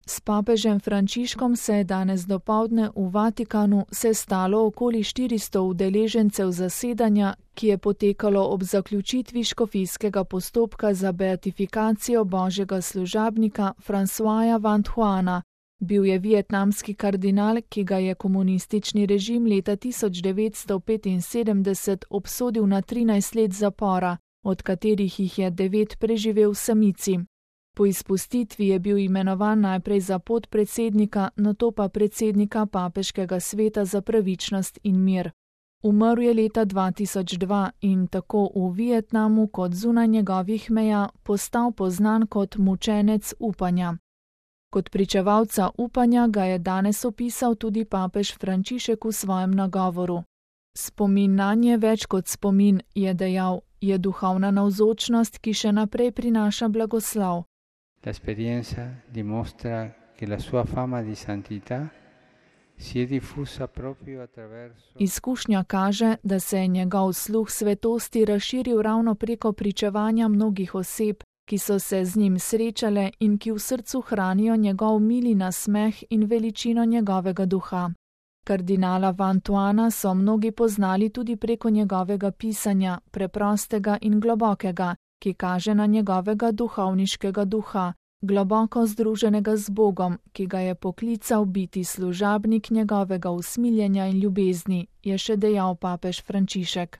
S papežem Frančiškom se je danes dopoldne v Vatikanu sestalo okoli 400 udeležencev zasedanja, ki je potekalo ob zaključitvi škofijskega postopka za beatifikacijo božjega služabnika Françoisa Vantuana. Bil je vietnamski kardinal, ki ga je komunistični režim leta 1975 obsodil na 13 let zapora, od katerih jih je 9 preživel v samici. Po izpustitvi je bil imenovan najprej za podpredsednika, nato pa predsednika Papeškega sveta za pravičnost in mir. Umrl je leta 2002 in tako v Vietnamu kot zunaj njegovih meja postal poznan kot mučenec upanja. Kot pričevalca upanja ga je danes opisal tudi papež Frančišek v svojem nagovoru. Spomin nanje več kot spomin, je dejal, je duhovna navzočnost, ki še naprej prinaša blagoslov. L'esperienza dimostra che la sua fama di santità si è diffusa proprio attraverso. Izkušnja kaže, da se je njegov sluh svetosti razširil ravno preko pričevanja mnogih oseb, ki so se z njim srečale in ki v srcu hranijo njegov mili nasmeh in veličino njegovega duha. Kardinala Vantuana so mnogi poznali tudi preko njegovega pisanja, preprostega in globokega, ki kaže na njegovega duhovniškega duha, globoko združenega z Bogom, ki ga je poklical biti služabnik njegovega usmiljenja in ljubezni, je še dejal papež Frančišek.